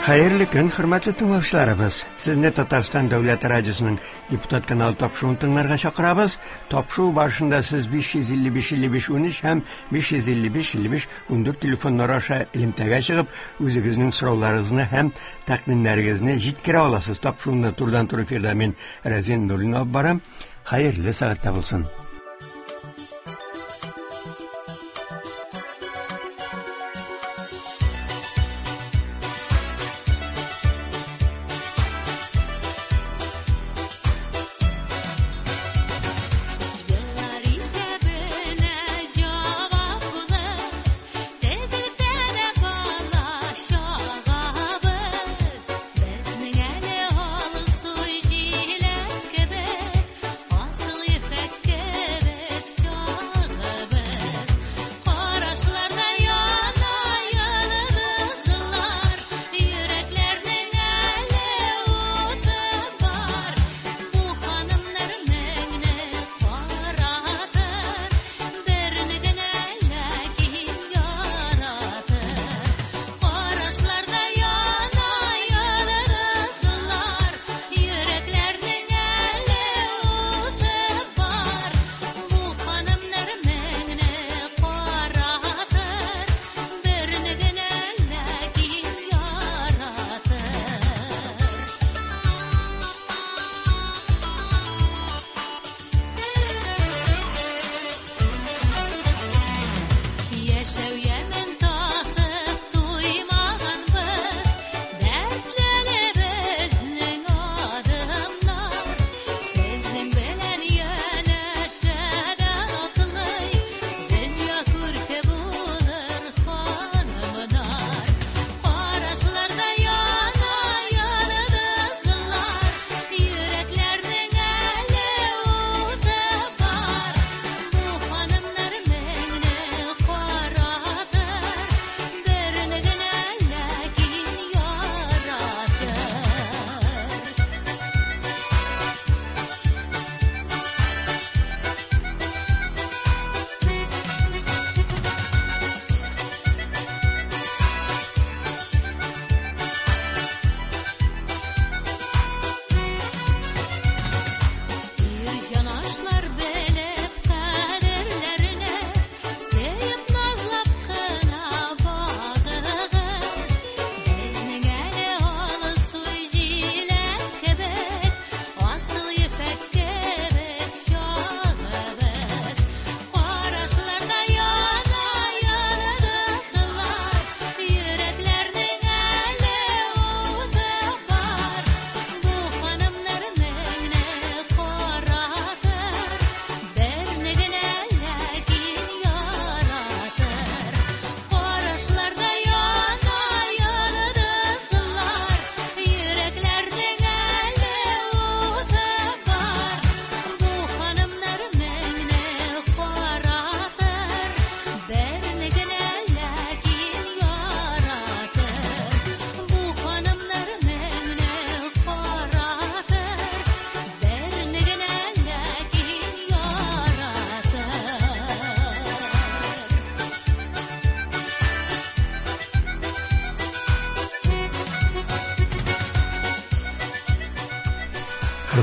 Хәерле көн, хөрмәтле тыңлаучыларыбыз. Сезне Татарстан Дәүләт радиосының Депутат каналы тапшыруын тыңларга чакырабыз. Тапшыру барышында сез 555 55 13 һәм 555 55 14 телефоннары аша элемтәгә чыгып, үзегезнең сорауларыгызны һәм тәкъдимнәрегезне җиткерә аласыз. Тапшыруны турыдан-туры эфирда мин Рәзин Нурин алып барам. Хәерле сәгатьтә булсын.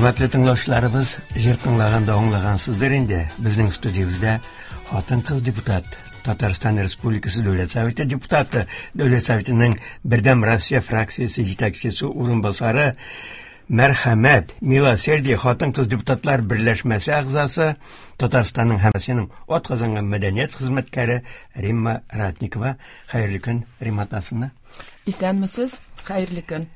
Хөрмәтле тыңлаучыларыбыз, җыр тыңлаганда аңлагансыздыр инде, безнең студиябездә хатын-кыз депутат, Татарстан Республикасы Дәүләт Советы депутаты, Дәүләт Советының Бердәм Россия фракциясе җитәкчесе урынбасары, Мәрхәмәт, Милосердие хатын-кыз депутатлар берләшмәсе әгъзасы, Татарстанның һәм Россиянең атказанган мәдәният хезмәткәре Римма Ратникова. Хәерле көн, Римма Тасовна. Исәнмесез, хәерле көн.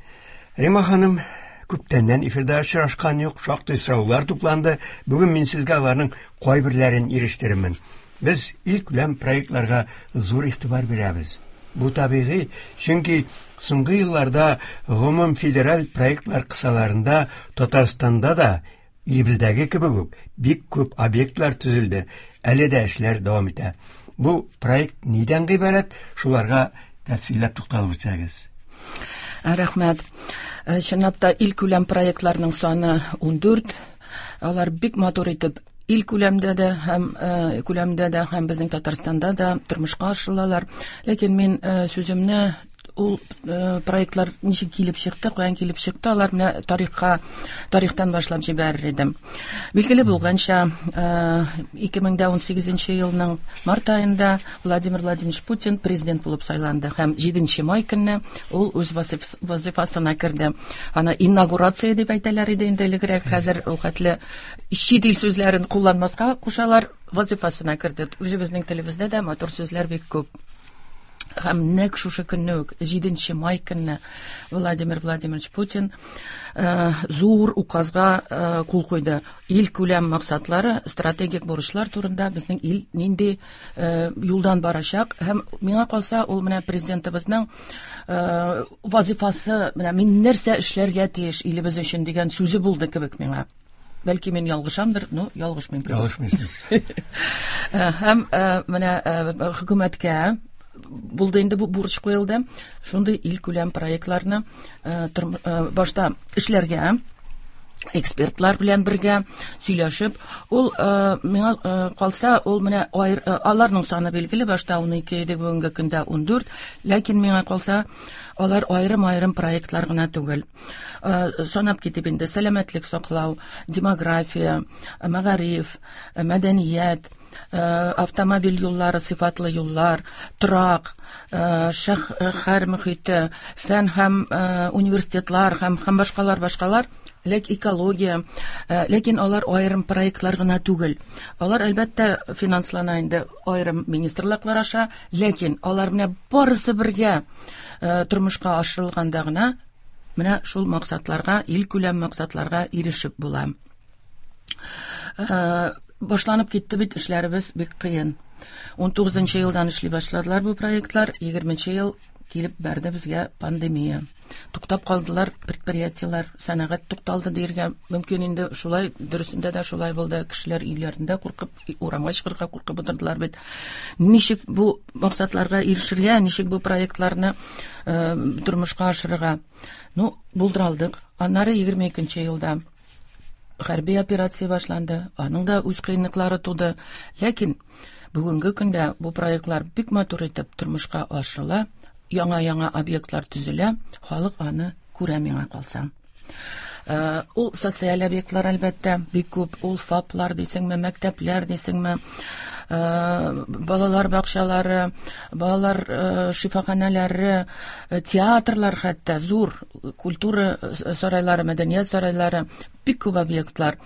Римма ханым, күптәннән эфирда очрашкан юк, шактый сораулар тупланды. Бүген мин сезгә аларның кайберләрен ирештерермен. Без илкүләм проектларга зур игътибар бирәбез. Бу табигый, чөнки соңгы елларда гомум федераль проектлар кысаларында Татарстанда да илебездәге кебек үк бик күп объектлар төзелде, әле дә эшләр дәвам итә. Бу проект нидән гыйбарәт? Шуларга тәфсилләп тукталып үтсәгез. Рәхмәт. Чынлап та илкүләм проектларның саны 14. Алар бик матур итеп ил күләмдә дә һәм күләмдә дә һәм безнең Татарстанда да тормышка ашырылалар. Ләкин мин сүземне Ул проектлар ничек килеп чыкты, каян килеп чыкты, алар менә тарихка, тарихтан башлап җибәрер идем. Билгеле булганча, 2018 елның март аенда Владимир Владимирович Путин президент булып сайланды һәм 7 май көнне ул үз вазифасына керде. Аны инаугурация дип әйтәләр иде инде элегрәк, хәзер ул хәтле чит ил сүзләрен кулланмаска кушалар, вазифасына керде. Үзебезнең телебездә дә матур сүзләр бик күп. Һәм нәкъ шушы көнне үк, 7 май көнне Владимир Владимирович Путин зур указга кул куйды. Ил күләм максатлары, стратегик бурычлар турында безнең ил нинди юлдан барачак. Һәм миңа калса, ул менә президентыбызның вазифасы, менә мин нәрсә эшләргә тиеш илебез өчен дигән сүзе булды кебек миңа. Бәлки мин ялгышамдыр, но ялгышмыйм кебек. Ялгышмыйсыз. Һәм менә хөкүмәткә булды инде бу бурыч куелды. Шундый илкүләм проектларны башта эшләргә, экспертлар белән бергә сөйләшеп, ул миңа калса, ул менә аларның саны билгеле, башта 12 иде, бүгенге көндә 14, ләкин миңа калса, алар аерым-аерым проектлар гына түгел. Санап китеп инде, сәламәтлек саклау, демография, мәгариф, мәдәният, автомобиль юллары, сыйфатлы юллар, торак, шәһәр мөхите, фән һәм университетлар һәм башкалар, башкалар, ләк экология, ләкин алар аерым проектлар гына түгел. Алар әлбәттә финанслана инде аерым министрлыклар аша, ләкин алар менә барысы бергә тормышка ашырылганда гына менә шул максатларга, илкүләм максатларга ирешеп була. Башланып китте бит эшләребез бик кыен. 19 елдан эшли башладылар бу проектлар, 20 ел килеп бәрде безгә пандемия. Туктап калдылар предприятиеләр, сәнәгать тукталды диергә мөмкин инде, шулай, дөресендә дә шулай булды. Кешеләр өйләрендә куркып, урамга чыгарга куркып утырдылар бит. Ничек бу максатларга ирешергә, ничек бу проектларны тормышка ашырырга? Ну, булдыра алдык. Аннары 22 елда хәрби операция башланды. Аның да үз кыенлыклары туды. Ләкин бүгенге көндә бу проектлар бик матур итеп тормышка ашырыла. Яңа-яңа объектлар төзелә, халык аны күрә миңа калса. Ул социаль объектлар әлбәттә бик күп, ул ФАПлар дисеңме, мәктәпләр дисеңме, балалар бакчалары, балалар шифаханәләре, театрлар хәтта, зур культура сарайлары, мәдәният сарайлары, бик күп объектлар.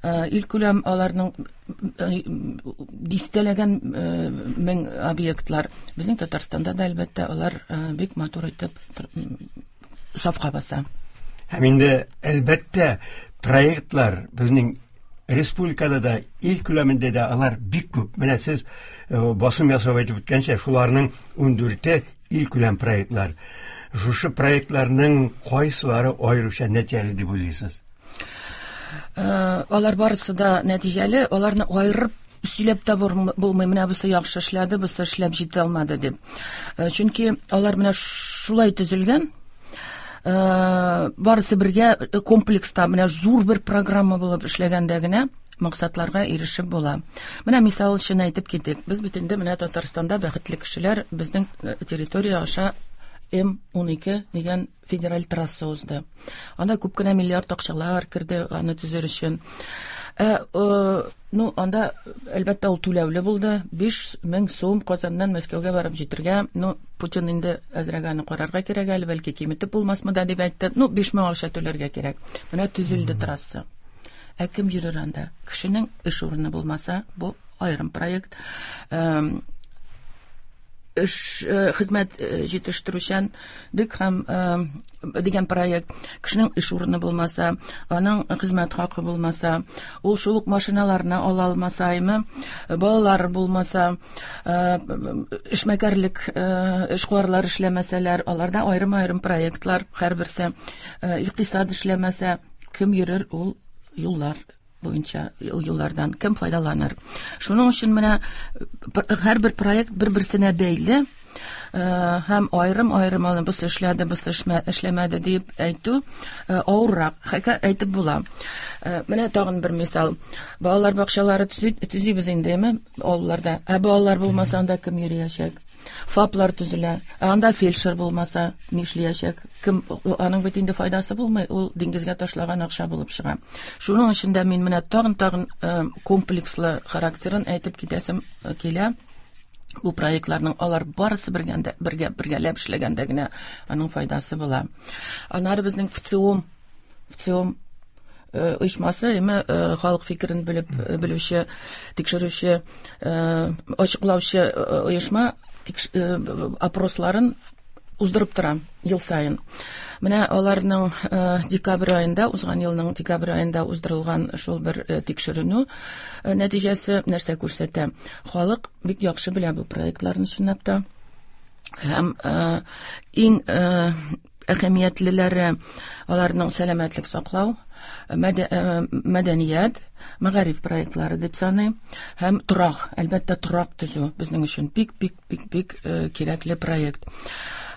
Илкүләм аларның дистәләгән мең объектлар. Безнең Татарстанда да әлбәттә алар бик матур итеп сафка баса. Һәм инде әлбәттә проектлар безнең республикада да, ил күләмендә дә алар бик күп. Менә сез басым ясап әйтеп үткәнчә, шуларның 14-е ил күләм проектлар. Шушы проектларның кайсылары аеруча нәтиҗәле дип уйлыйсыз? Алар барысы да нәтиҗәле, аларны аерып сөйләп тә булмый, менә бусы яхшы эшләде, бусы эшләп җитә алмады дип. Чөнки алар менә шулай төзелгән, барысы бергә комплекста менә зур бер программа булып эшләгәндә генә максатларга ирешеп була. Менә мисал өчен әйтеп китик. Без бит инде менә Татарстанда бәхетле кешеләр, безнең территория аша М12 дигән федераль трасса узды. Анда күп кенә миллиард акчалар керде аны төзер өчен. Ну, анда, әлбәттә, ул түләүле булды. 5000 сум Казаннан Мәскәүгә барып җитергә. Ну, Путин инде әзрәк аны карарга кирәк әле, бәлки киметеп булмасмы да дип әйтте. Ну, 5000 акча түләргә кирәк. Менә төзелде трасса. Ә кем йөрер анда? Кешенең эш урыны булмаса, бу аерым проект. Эш, хезмәт җитештерүчәнлек һәм дигән проект. Кешенең эш урыны булмаса, аның хезмәт хакы булмаса, ул шул ук машиналарны ала алмаса, әйме, балалары булмаса, эшмәкәрлек, эшкуарлар эшләмәсәләр, аларда аерым-аерым проектлар һәрберсе, икътисад эшләмәсә, кем йөрер ул юллар буенча, ул юллардан кем файдаланыр? Шуның өчен менә һәрбер проект бер-берсенә бәйле, һәм аерым-аерым аны бусы эшләде, бусы эшләмәде дип әйтү авыррак, хәтта әйтеп була. Менә тагын бер мисал. Балалар бакчалары төзибез инде, әйме, авылларда. Ә балалар булмаса, анда кем йөриячәк? ФАПлар төзелә. Ә анда фельдшер булмаса, нишләячәк? Кем аның бит инде файдасы булмый, ул диңгезгә ташлаган акча булып чыга. Шуның өчен дә мин менә тагын-тагын комплекслы характерын әйтеп китәсем килә. Бу проектларның алар барысы бергәндә, бергә бергәләп эшләгәндә генә аның файдасы була. Аннары безнең ВЦИОМ, ВЦИОМ оешмасы, әмма халык фикерен белеп белүче, тикшерүче, ачыклаучы оешма опросларын уздырып тора ел саен. Менә аларның декабрь аенда, узган елның декабрь аенда уздырылган шул бер тикшеренү нәтиҗәсе нәрсә күрсәтә? Халык бик яхшы белә бу проектларны чынлап та. Һәм иң әһәмиятлеләре аларның сәламәтлек саклау, мәдәният, мәгариф проектлары дип саныйм. Һәм торак, әлбәттә, торак төзү безнең өчен бик, бик, бик, бик кирәкле проект.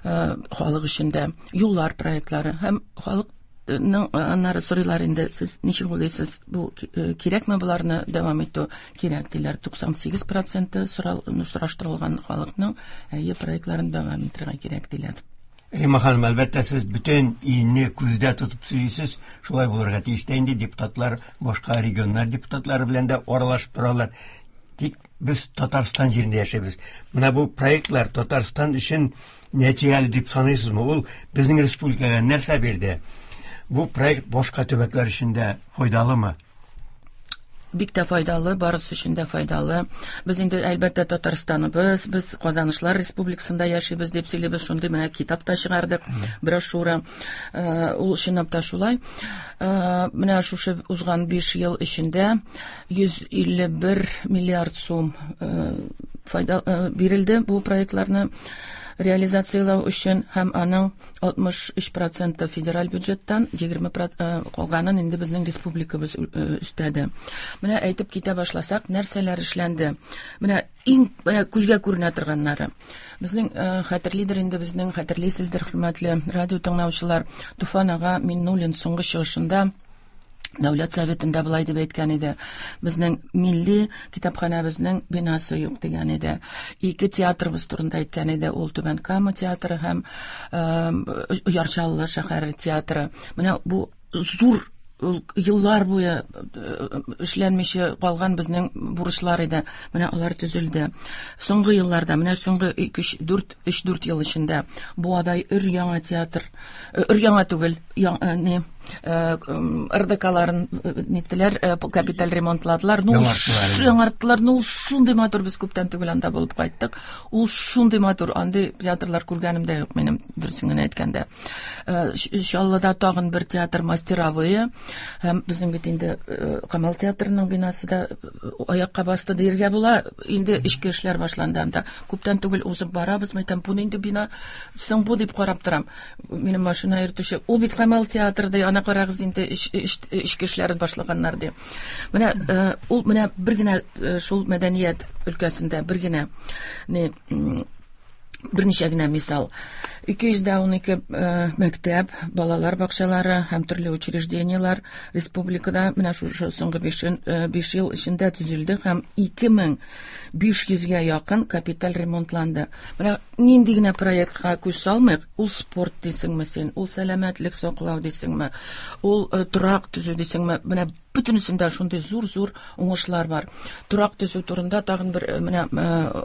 Халык өчен дә юллар проектлары һәм халыкның аннары сорыйлар инде, сез ничек уйлыйсыз, бу кирәкме боларны дәвам итү? Кирәк диләр. 98% сораштырылган халыкның әйе проектларын дәвам итәргә кирәк диләр. Рима ханым, әлбәттә, сез бөтен илне күздә тотып сөйлисез, шулай булырга тиеш тә инде, депутатлар башка регионнар депутатлары белән дә аралашып торалар. Тик без Татарстан җирендә яшәйбез. Менә бу проектлар Татарстан өчен нәтиҗәле дип саныйсызмы? Ул безнең республикага нәрсә бирде? Бу проект башка төбәкләр өчен дә файдалымы? Бик тә файдалы, барысы өчен дә файдалы. Без инде, әлбәттә, Татарстаныбыз, без Казанышлар республикасында яшибез дип сөйлибез, шундый менә китап та чыгардык, брошюра. Ул чынлап та шулай. Менә шушы узган 5 ел эчендә 151 миллиард сум файда бирелде бу проектларны реализацияләү өчен, һәм аның 63% федераль бюджеттан, егерме калганын инде безнең республикабыз өстәде. Менә әйтеп китә башласак, нәрсәләр эшләнде? Менә иң менә күзгә күренә торганнары. Безнең хәтерлидер инде, безнең хәтерлисездер, хөрмәтле радио тыңлаучылар, Туфан ага Миннуллин соңгы чыгышында Дәүләт Советында былай дип әйткән иде: безнең милли китапханәбезнең бинасы юк дигән иде. Ике театрыбыз турында әйткән иде, ул Түбән Кама театры һәм Яр Чаллы шәһәре театры. Менә бу зур ул еллар буе эшләнмичә калган безнең бурычлар иде. Менә алар төзелде. Соңгы елларда, менә соңгы ике, өч, дүрт, өч, дүрт ел эчендә Буадай өр-яңа театр, өр-яңа түгел, не, РДКларын ниттеләр, капиталь ремонтладылар. Ну, яңарттылар. Ну, шундый матур, без күптән түгел анда булып кайттык. Ул шундый матур, андый театрлар күргәнем дә юк минем, дөресен генә әйткәндә. Чаллыда тагын бер театр мастеровые. Һәм безнең бит инде Камал театрының бинасы да аякка басты диергә була. Инде эчке эшләр башланды анда. Күптән түгел узып барабыз, мәйтәм, бу нинди бина? Соң бу дип карап торам. Минем машина йөртүче, ул бит Камал театры ди, ана карагыз инде эчке эшләрен башлаганнар ди. Менә ул менә бер генә шул мәдәният өлкәсендә бер генә не, берничә генә мисал. Ике йөз дә унике мәктәп, балалар бакчалары һәм төрле учреждениеләр республикада менә шушы соңгы 5 ел эчендә төзелде һәм ике мең биш йөзгә якын капиталь ремонтланды. Менә нинди генә проектка күз салмыйк, ул спорт дисеңме син, ул сәламәтлек саклау дисеңме, ул торак төзү дисеңме, менә бөтенесендә шундый зур-зур уңышлар бар. Торак төзү турында тагын бер менә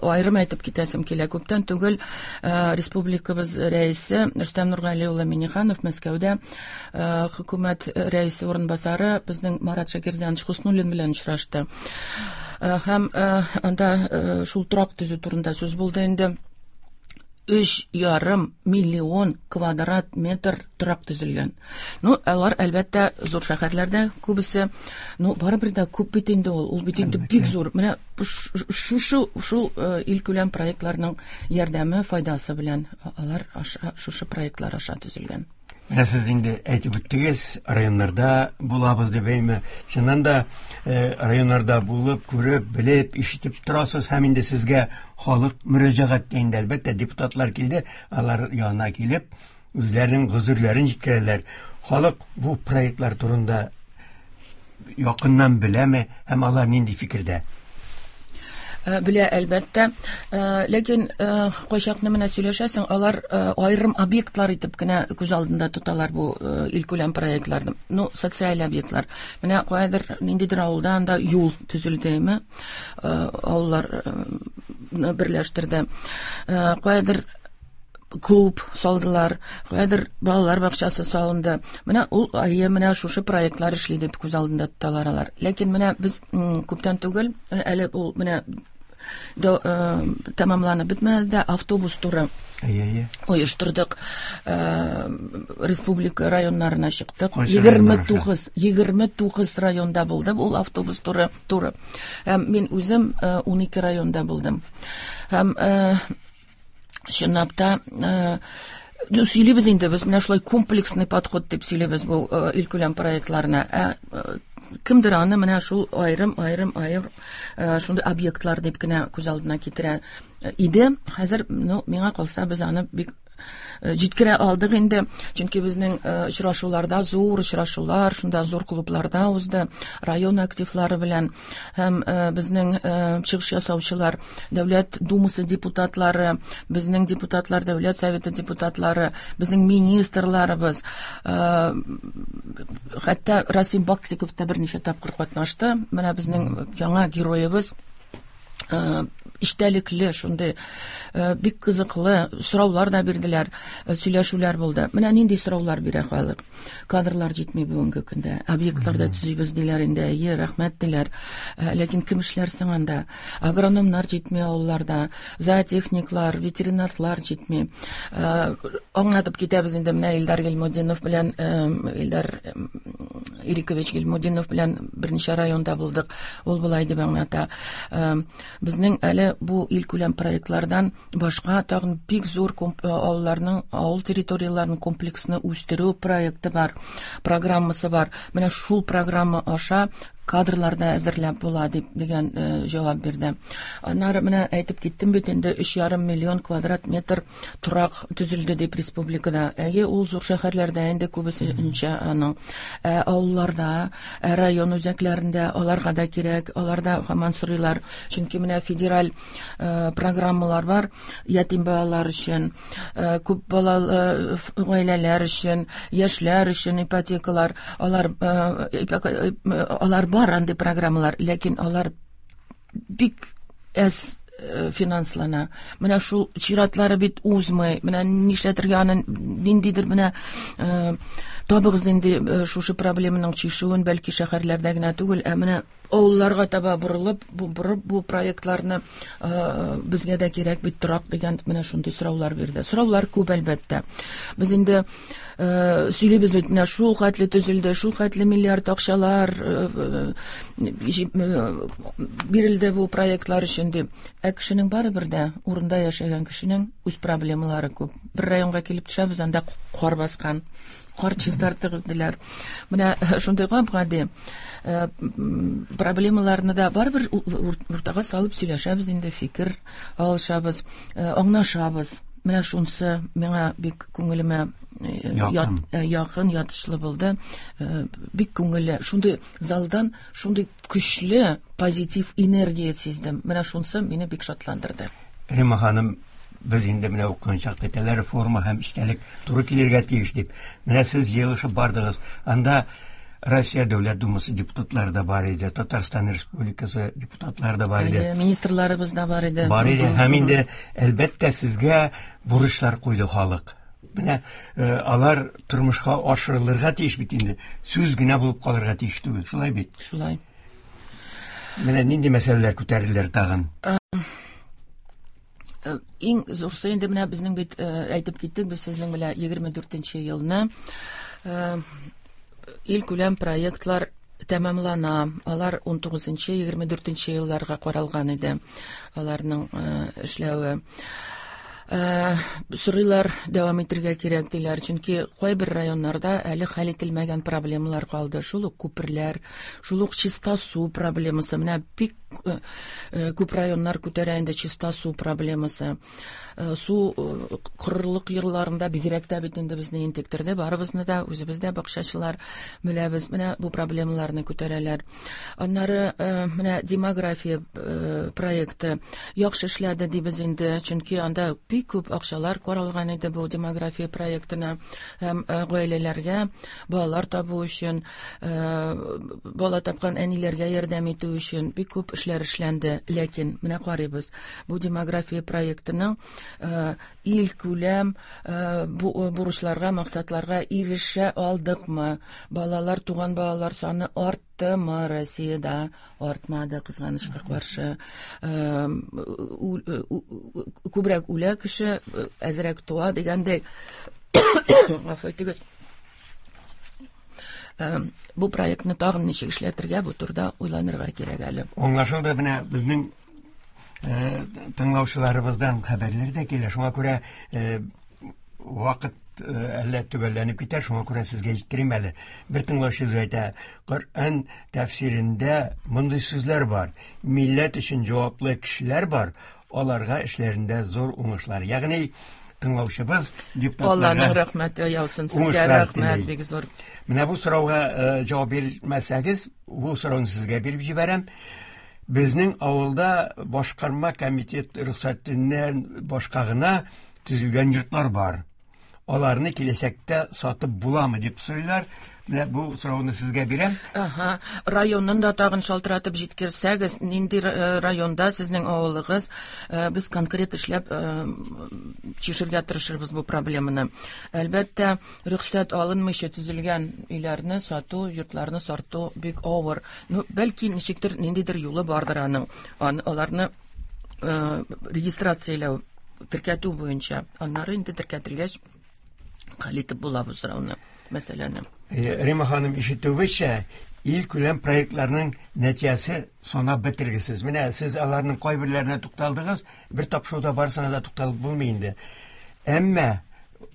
аерым әйтеп китәсем килә. Күптән түгел республикабыз рәисе Рөстәм Нургали улы Миңнеханов Мәскәүдә хөкүмәт рәисе урынбасары безнең Марат Шакирзянович Хуснуллин белән очрашты. Һәм анда шул торак төзү турында сүз булды инде. Өч ярым миллион квадрат метр торак төзелгән. Ну, алар, әлбәттә, зур шәһәрләрдә күбесе. Ну, барыбер дә күп бит инде ул. Ул бит инде бик зур. Менә шул илкүләм проектларның ярдәме, файдасы белән алар шушы проектлар аша төзелгән. Менә сез инде әйтеп үттегез, районнарда булабыз дип әйме. Чыннан да районнарда булып, күреп, белеп, ишетеп торасыз һәм инде сезгә халык мөрәҗәгать итә инде, әлбәттә, депутатлар килде, алар янына килеп, үзләренең гозерләрен җиткерәләр. Халык бу проектлар турында якыннан беләме һәм алар нинди фикердә? Белә, әлбәттә. Ләкин кайчакны менә сөйләшәсең, алар аерым объектлар итеп кенә күз алдында тоталар бу илкүләм проектларны. Ну, социаль объектлар. Менә каядыр ниндидер авылда анда юл төзелдеме? Авыллар берләштерде. Каядыр клуб салдылар, каядыр балалар бакчасы салынды. Менә ул әйе, менә шушы проектлар эшли дип күз алдында тоталар алар. Ләкин менә без күптән түгел, әле ул менә тәмамланып бетмәде дә, автобус туры Әйе, әйе. оештырдык. Республика районнарына чыктык. Кайсы районнар 29 районда булды ул автобус туры. Һәм мин үзем 12 районда булдым. Һәм чынлап та сөйлибез инде без менә шулай комплексный подход дип сөйлибез бу илкүләм проектларына. Ә кемдер аны менә шул аерым, аерым, аерым шундый объектлар дип кенә күз алдына китерә иде. Хәзер, ну, миңа калса, без аны бик җиткерә алдык инде, чөнки безнең очрашуларда, зур очрашулар, шунда зур клубларда узды, район активлары белән һәм безнең чыгыш ясаучылар, Дәүләт Думасы депутатлары, безнең депутатлар, Дәүләт Советы депутатлары, безнең министрларыбыз, хәтта Расим Баксиков та берничә тапкыр катнашты. Менә безнең яңа героебыз, эчтәлекле, шундый бик кызыклы сораулар да бирделәр, сөйләшүләр булды. Менә нинди сораулар бирә халык. Кадрлар җитми бүгенге көндә. Объектларда төзибез диләр инде, әйе, рәхмәт диләр. Ләкин кем эшләр соң анда? Агрономнар җитми авылларда, зоотехниклар, ветеринарлар җитми. Аңлатып китәбез инде менә Илдар Гыйльмутдинов белән, Илдар Ирикович Гыйльмутдинов белән берничә районда булдык. Ул болай дип аңлата. Безнең әле бу илкүләм проектлардан башка тагын бик зур авылларның, авыл территорияләренең комплексны үстерү проекты бар, программасы бар. Менә шул программа аша кадрлар да әзерләп була дип дигән җавап бирде. Аннары менә әйтеп киттем бит инде, өч ярым миллион квадрат метр торак төзелде дип республикада. Әйе, ул зур шәһәрләрдә инде күбесенчә аның. Авылларда, район үзәкләрендә аларга да кирәк, аларда һаман сорыйлар. Чөнки менә федераль программалар бар, ятим балалар өчен, күп балалы гаиләләр өчен, яшьләр өчен ипотекалар, алар бар андый программалар, ләкин алар бик әз финанслана. Менә шул чиратлары бит узмый. Менә нишләтергә аны, ниндидер менә табыгыз инде шушы проблеманың чишүен, бәлки шәһәрләрдә генә түгел, ә менә авылларга таба борылып, бу, борып бу проектларны безгә дә кирәк бит торак дигән менә шундый сораулар бирде. Сораулар күп әлбәттә. Без инде сөйлибез бит, менә шул хәтле төзелде, шул хәтле миллиард акчалар бирелде бу проектлар өчен дип. Ә кешенең барыбер дә урында яшәгән кешенең үз проблемалары күп. Бер районга килеп төшәбез, анда кар баскан. Кар чистартыгыз диләр. Менә шундый гап-гади проблемаларны да барыбер уртага салып сөйләшәбез инде, фикер алышабыз, аңлашабыз. Менә шунысы миңа бик күңелемә Якын. якын, ятышлы булды. Бик күңелле. Шундый залдан шундый көчле позитив энергия сиздем. Менә шунысы мине бик шатландырды. Рима ханым, без инде менә укыган чакта әйтәләр, форма һәм эчтәлек туры килергә тиеш дип. Менә сез җыелышып бардыгыз. Анда Россия Дәүләт Думасы депутатлары да бар иде, Татарстан Республикасы депутатлары да бар иде. Әйе, министрларыбыз да бар иде. Бар иде. Һәм инде, әлбәттә, сезгә бурычлар куйды халык. Менә алар тормышка ашырылырга тиеш бит инде. Сүз генә булып калырга тиеш түгел, шулай бит? Шулай. Менә нинди мәсьәләләр күтәрелер тагын? Иң зурсы инде менә безнең бит әйтеп киттек, без сезнең белән егерме дүртенче елны илкүләм проектлар тәмамлана. Алар ун тугызынчы, егерме дүртенче елларга каралган иде аларның эшләве. Сорыйлар, дәвам итергә кирәк диләр, чөнки кайбер районнарда әле хәл ителмәгән проблемалар калды. Шул ук күперләр, шул ук чиста су проблемасы. Менә бик күп районнар күтәрә инде чиста су проблемасы. Су корылык елларында бигрәк тә бит инде безне интектерде, барыбызны да, үзебез дә бакчачылар беләбез. Менә бу проблемаларны күтәрәләр. Аннары менә демография проекты яхшы эшләде дибез инде, чөнки анда бик күп акчалар каралган иде бу демография проектына һәм гаиләләргә балалар табу өчен, бала тапкан әниләргә ярдәм итү өчен бик күп эшләр эшләнде. Ләкин менә карыйбыз, бу демография проектының илкүләм бурычларга, максатларга ирешә алдыкмы? Балалар, туган балалар саны арттымы Россиядә? Артмады, кызганычка каршы. Күбрәк үлә кеше, әзрәк туа дигәндәй. Гафу итегез. Бу проектны тагын ничек эшләтергә, бу турыда уйланырга кирәк әле. Аңлашылды, менә безнең тыңлаучыларыбыздан хәбәрләр дә килә. Шуңа күрә вакыт әллә төгәлләнеп китә, шуңа күрә сезгә җиткерим әле. Бер тыңлаучы әйтә, Коръән тәфсирендә мондый сүзләр бар. Милләт өчен җаваплы кешеләр бар, аларга эшләрендә зур уңышлар. Ягъни тыңлаучыбыз депутатларга Алланың рәхмәте яусын сезгә, рәхмәт бик зур. Менә бу сорауга җавап бирмәсәгез, бу сорауны сезгә биреп җибәрәм. Безнең авылда башкарма комитет рөхсәтеннән башка гына төзелгән йортлар бар. Аларны киләчәктә сатып буламы дип сорыйлар. Менә бу сорауны сезгә бирәм. Ага, районын да тагын шалтыратып җиткерсәгез, нинди районда сезнең авылыгыз, без конкрет эшләп чишергә тырышырбыз бу проблеманы. Әлбәттә, рөхсәт алынмыйча төзелгән өйләрне сату, йортларны сату бик авыр. Ну, бәлки ничектер ниндидер юлы бардыр аның. Аларны регистрацияләү, теркәтү буенча. Аннары инде теркәтелгәч, хәл итеп була бу сорауны, мәсьәләне. Рима ханым, ишетүебезчә, илкүләм проектларның нәтиҗәсе санап бетергесез. Менә сез аларның кайберләренә тукталдыгыз, бер тапшыруда барысына да тукталып булмый инде. Әмма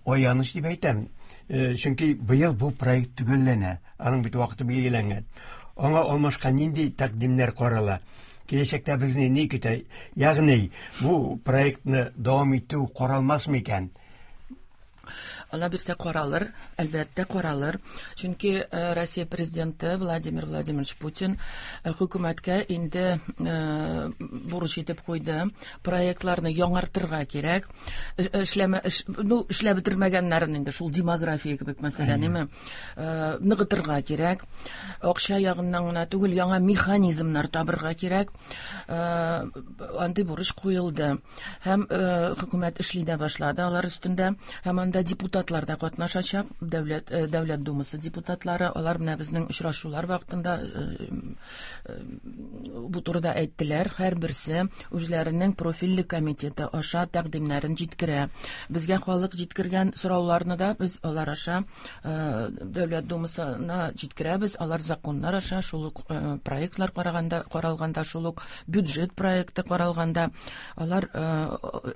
аяныч дип әйтәм, чөнки быел бу проект төгәлләнә, аның бит вакыты билгеләнгән. Аңа алмашка нинди тәкъдимнәр карала? Киләчәктә безне ни көтә? Ягъни бу проектны дәвам итү каралмас микән? Алла бирсә каралыр, әлбәттә каралыр. Чөнки Россия президенты Владимир Владимирович Путин хөкүмәткә инде бурыч итеп куйды. Проектларны яңартырга кирәк. Эшләмә, ну, эшләп бетермәгәннәрен инде шул демография кебек мәсьәлә, неме, ныгытырга кирәк. Акча ягыннан гына түгел, яңа механизмнар табырга кирәк. Андый бурыч куелды. Һәм хөкүмәт эшли дә башлады алар өстендә. Һәм анда депутатлар да катнашачак, Дәүләт Думасы депутатлары. Алар менә безнең очрашулар вакытында бу турыда әйттеләр. Һәрберсе үзләренең профильле комитеты аша тәкъдимнәрен җиткерә. Безгә халык җиткергән сорауларны да без алар аша Дәүләт Думасына җиткерәбез. Алар законнар аша, шул ук проектлар караганда, каралганда, шул ук бюджет проекты каралганда, алар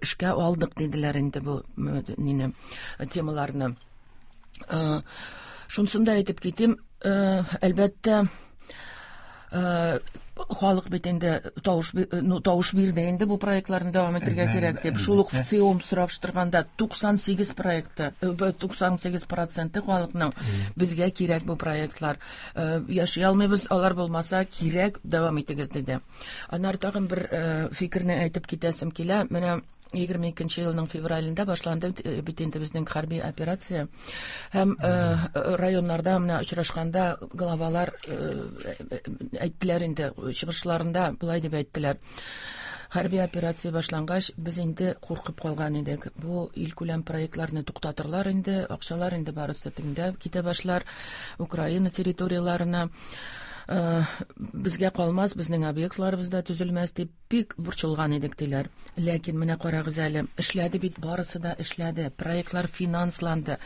эшкә алдык диделәр инде бу нине, темаларны. Шунысын да әйтеп китим, әлбәттә, халык бит инде тавыш бирде инде бу проектларны дәвам итәргә кирәк дип. Шул ук ВЦИОМ сораштырганда 98 проекты, 98% халыкның безгә кирәк бу проектлар. Яши алмыйбыз, алар булмаса кирәк, дәвам итегез диде. Аннары тагын бер фикерне әйтеп китәсем килә. Менә 22 елның февралендә башланды бит инде безнең хәрби операция. Һәм районнарда менә очрашканда главалар әйттеләр инде, чыгышларында болай дип әйттеләр. Хәрби операция башлангач, без инде куркып калган идек. Бу илкүләм проектларны туктатырлар инде, акчалар инде барысы тегендә китә башлар Украина территорияләренә. Безгә калмас, безнең объектларыбыз да төзелмәс дип бик борчылган идек, диләр. Ләкин менә карагыз әле, эшләде бит, барысы да эшләде, проектлар финансланды.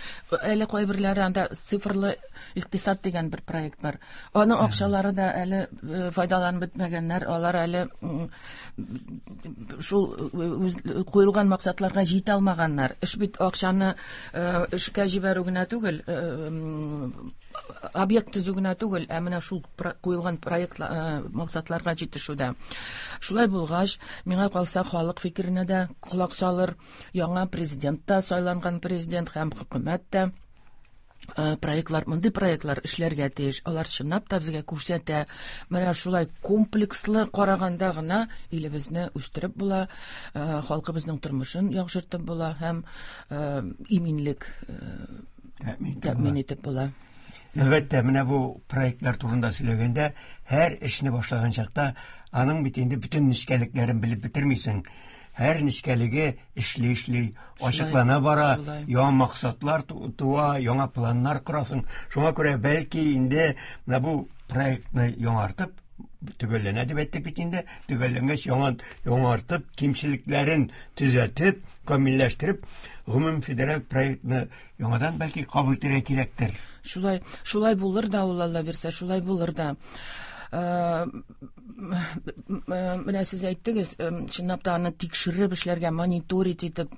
Әле кайберләре анда цифрлы икътисад дигән бер проект бар. Аның акчалары да әле файдаланып бетмәгәннәр, алар әле шул үз куелган максатларга җитә алмаганнар. Эш бит акчаны эшкә җибәрү генә түгел, объект төзү генә түгел, ә менә шул куелган проект максатларга җитешүдә. Шулай булгач, миңа калса, халык фикеренә дә колак салыр, яңа президент та, сайланган президент һәм хөкүмәт тә проектлар, мондый проектлар эшләргә тиеш. Алар чынлап та безгә күрсәтә. Менә шулай комплекслы караганда гына илебезне үстереп була, халкыбызның тормышын яхшыртып була һәм иминлек тәэмин итеп була. Әлбәттә, менә бу проектлар турында сөйләгәндә, һәр эшне башлаган чакта аның бит инде бөтен нечкәлекләрен белеп бетермисең. Һәр нечкәлеге эшли-эшли ачыклана бара, яңа максатлар туа, яңа планнар корасың. Шуңа күрә бәлки инде менә бу проектны яңартып, төгәлләнә дип әйттек бит инде, төгәлләнгәч яңа яңартып, кимчелекләрен төзәтеп, камилләштереп, гомум федераль проектны яңадан бәлки кабул итәргә кирәктер. Шулай, шулай булыр да ул, Алла бирсә, шулай булыр да. Менә сез әйттегез, чынлап та аны тикшереп эшләргә, мониторить итеп,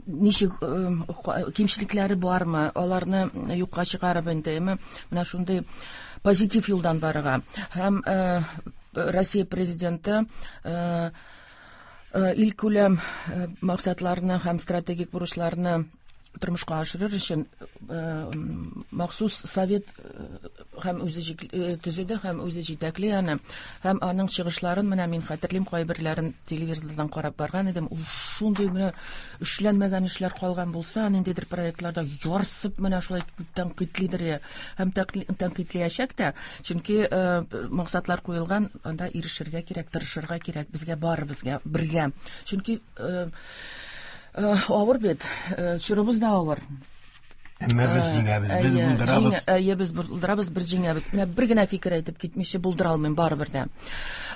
ничек кимчелекләре бармы, аларны юкка чыгарып инде, менә шундый позитив юлдан барырга. Һәм Россия президенты илкүләм максатларны һәм стратегик бурычларны тормышка ашырыр өчен махсус совет һәм үзе төзеде һәм үзе җитәкли аны. Һәм аның чыгышларын менә мин хәтерлим, кайберләрен телевизордан карап барган идем. Ул шундый менә эшләнмәгән эшләр калган булса, ниндидер проектларда ярсып менә шулай тәнкыйтьлидер һәм тәнкыйтьләячәк тә, чөнки максатлар куелган, анда ирешергә кирәк, тырышырга кирәк безгә, барыбызга бергә. Чөнки авыр бит, чорыбыз да авыр. Әмма без җиңәбез, без булдырабыз. Әйе, без булдырабыз, без җиңәбез. Менә бер генә фикер әйтеп китмичә булдыра алмыйм барыбер дә.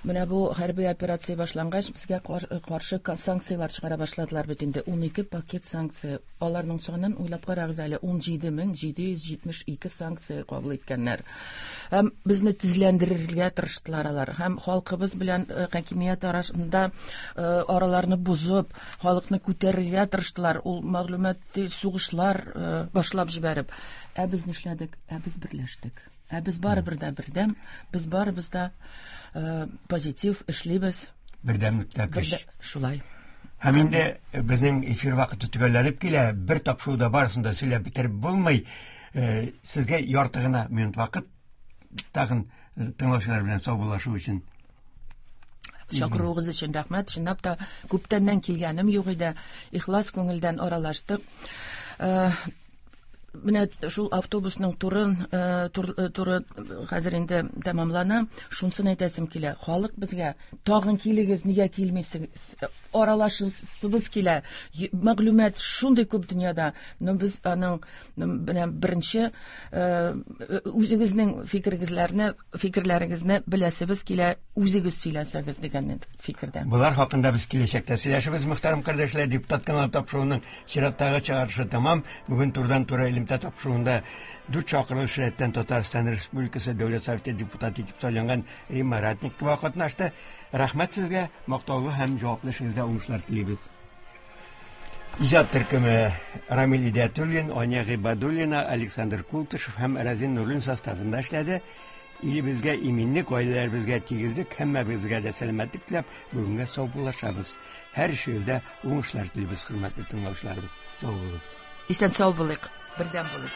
Менә бу хәрби операция башлангач, безгә каршы санкцияләр чыгара башладылар бит инде. 12 пакет санкция. Аларның санын уйлап карагыз әле, 17772 санкция кабул иткәннәр. Һәм безне тезләндерергә тырыштылар алар. Һәм халкыбыз белән хакимият арасында араларны бозып, халыкны күтәрергә тырыштылар. Ул мәгълүмат сугышлар башлап җибәреп. Ә без нишләдек? Ә без берләштек. Ә без барыбер дә бердәм, без барыбыз да позитив эшлибез. Бердәмлектә көч. Шулай. Һәм инде безнең эфир вакыты төгәлләнеп килә. Бер тапшыруда барысын да сөйләп бетереп булмый. Сезгә ярты гына минут вакыт тагын тыңлаучылар белән саубуллашу өчен. Чакыруыгыз өчен рәхмәт. Чынлап та күптәннән килгәнем юк иде. Ихлас күңелдән аралаштык. Менә шул автобусның турын, туры хәзер инде тәмамлана. Шунысын әйтәсем килә. Халык безгә тагын килегез, нигә килмисез? Аралашасыбыз килә. Мәгълүмат шундый күп дөньяда. Но без аның менә беренче үзегезнең фикерегезләрне, фикерләрегезне беләсебез килә, үзегез сөйләсәгез дигән фикердә. Болар хакында без киләчәктә сөйләшербез, мөхтәрәм кардәшләр. Депутат каналы тапшыруының чираттагы чыгарышы тәмам. Бүген турыдан-туры элемтә тапшыруында дүрт чакырылыш рәттән Татарстан Республикасы Дәүләт Советы депутаты итеп сайланган Римма Ратникова катнашты. Рәхмәт сезгә, мактаулы һәм җаваплы эшегездә уңышлар телибез. Иҗат төркеме Рамил Идиатуллин, Аня Гыйбадуллина, Александр Култышев һәм Разин Нурлин составында эшләде. Илебезгә иминлек, гаиләләребезгә тигезлек, һәммәбезгә дә сәламәтлек теләп, бүгенгә саубуллашабыз. Һәр эшегездә уңышлар телибез, хөрмәтле тыңлаучыларыбыз. Сау булыгыз. Исән сау булыйк, бердәм булыйк.